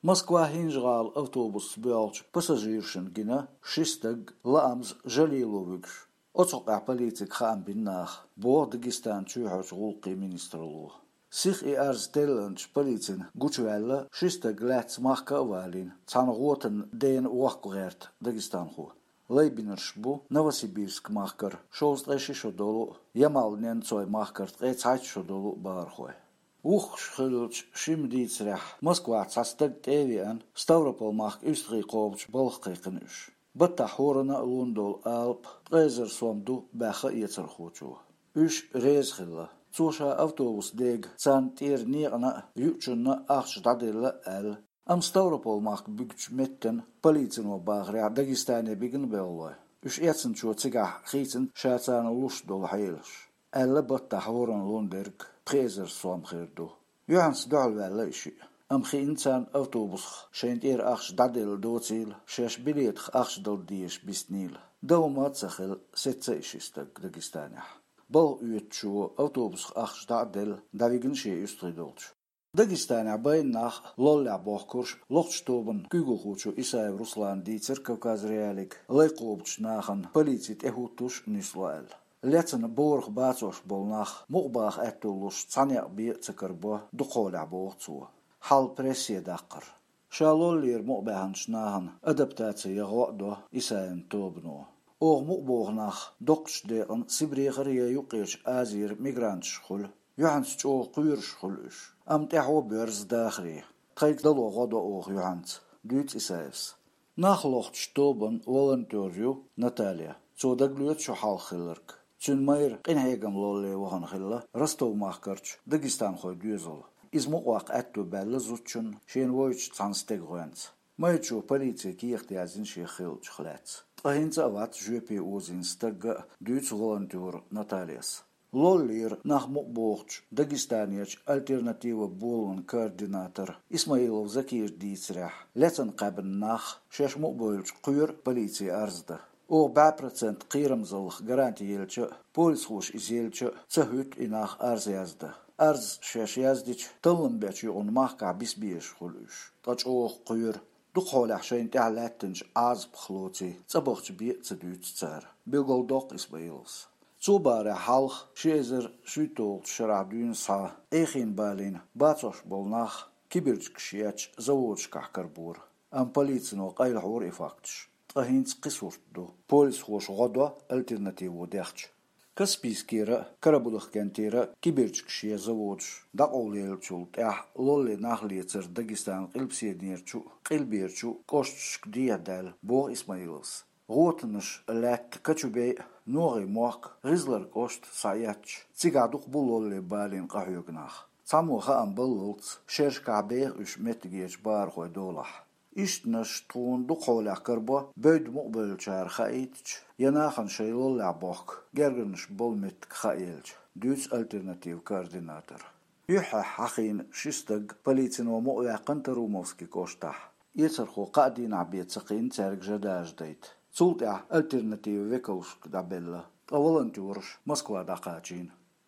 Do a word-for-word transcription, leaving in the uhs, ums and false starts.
Москва — ХӀинжа-ГӀала автобусца боьлхучу пассажиршна гина ши стаг, лаамца жалело вуьгуш. Оцу хьокъехь полицига хаам бина наха, боху Дагестанан чоьхьарчу гӀуллакхийн министралло. Сиха и арз теллинчу полицина гучуваьлла, ши стаг лаьцна махка а валийна, цхьана гӀотанна дена вохка гӀерта дагестанхо. Лайбинарш бу Новосибирск-махкара шовзткъе ши шо долу а, Ямал-Ненцой-махкара ткъе цхьайтта шо долу а бахархой. Вухкуш хиллачу шимма дийцарехь, Москвахь цхьа стаг тӀе а веана, Ставрополь-махка уьстагӀий кхобучу балха кхайкхина уьш. Баттахь хӀоранна а лун долу алапа ткъе эзар сом ду, баьхна эцархочо. Уьш реза хилла. Цо ша автобус дега царна тӀера некъана а, юучунна а ахча дӀаделла а аьлла. Амма Ставрополь-махка буьгучу меттана, полицино бахарехь, Дагестане бигна белхалой. Уьш эцначо цигахь хийцина ша царна луш долу хьелаш. Аьлла баттахь хӀоранна лун дерг пхи эзар сом хир ду. Юьхьанца дуьхьалваьлла и шиъ. Амма хиъна царна автобусах шайна тӀера ахча дӀаделла доцийла, шаьш билетах ахча дала дезаш биснийла. Дан хӀума а ца хилла, сецна и ши стаг Дагестанехь. Балха оьцучо автобусах ахча дӀа а делла, дӀавигна шен уьстагӀий долчу. Дагестанехь байна нах лоллехь бохкурш лохучу тобанан куьйгалхочо Исаев Руслана дийцира Кавказ.Реалиига лай кхобучу нахана полици тӀехӀуттуш нисло аьлла. Лецна борах бацош болу нах мукъабаха аьтто луш цхьа некъ бен а ца карабо дукхахьолехь, боху цо. Хьал прессе даккхара. Ша лоллера мукъабаьхначу нахана адаптаци ян гӀо а до Исаевн тобано. Оха мукъабоху нах доккхачу декъана Сибрехара я Юккъерчу Азера мигранташ хуьлу. Юьхьанца чӀогӀа кхоьруш хуьлу уьш. Амма тӀаьхьо боьрзу дахаре. Тхайга дало гӀо до оха юьхьанца, дуьйцу Исаевс. Нах лохучу тобанан волонтер ю Наталья. Цо дагалоьцу шу хьалха хилларг. Цуьнан майра къинхьегам лолле вахана хилла Ростов-махкарчу дагестанхойн доьзал. Иза мукъаваккха аьтто баьлла зудчунна, шена вевзачу цхьана стеган гӀоьнца. Майрачо полице кехат яздина шех хиллачух лаьцна. Ткъа хӀинца а вац жоьпе озийна стагга а, дуьйцу волонтера Натальяс. Лоллера нах мукъабохучу Дагестанерчу «Альтернатива» боланан координатора Исмаилов Закира дийцарехь, лецна кхаьбна нах, шаьш мукъабевлча, кхоьру полице арз дан. Оха бӀе процент кхерамзаллах гаранти елча а, полисхоша иза елча а, ца хӀуьтту и нах арз яздан. Арз шаьш яздича, таллам бечу юкъана махкахь биса безаш хуьлу уьш, ткъа чӀогӀа кхоьру. Дукхахьолехь шайна тӀехь лаьттинчу Ӏазапах лоций, цӀа бахча бен а ца дуьйцу цара, билгалдоккху Исмаиловс. Цо бахарехь, хьалха, ши эзар шийтталгӀачу шарахь дуьйна схьа, Ӏехийна балийна бацош болу нах кибирчигаш ечу заводашкахь карабора. Амма полицино къайлахьора и факташ. Ткъа хӀинца кхин сурт ду. Полисхоша гӀо до «Альтернативо» дехча. Каспийскера а, Карабудахкентера а кибирчигаш я заводаш дӀакъовлаеллачул тӀаьхьа лолле нах лецар Дагестанан къилбаседерчу а, къилберчу а кӀошташка дехьадаьлла, боху Исмаиловс. ГӀотанаш лаьтта Кочубей а, НогӀий мохк а, ГӀизлар кӀошт а схьаэцча, цигахь дукха бу лолле балийна къахьоьгу нах. Цхьаммо хаам баллалц, шерашкахь беха уьш меттигерчу бахархойн долахь. Ишттанаш тхуна дукхахьолехь карабо, бевдда мукъабевллачара хаийтича, я нахана шайн лоллехь бохку гергарнаш болу меттиг хааелча, дуьйцу «Альтернатива» координатора. Юьххьехь хьахийна ши стаг полицино мукъаваьккхина Тарумовски кӀоштахь. Эцархо кхаа дийнахь бен ца кхиъна цаьрга жа дажадайта. Цул тӀаьхьа «Альтернатива» векалшка дӀабелла, ткъа волонтераш Москва дӀакхачийна.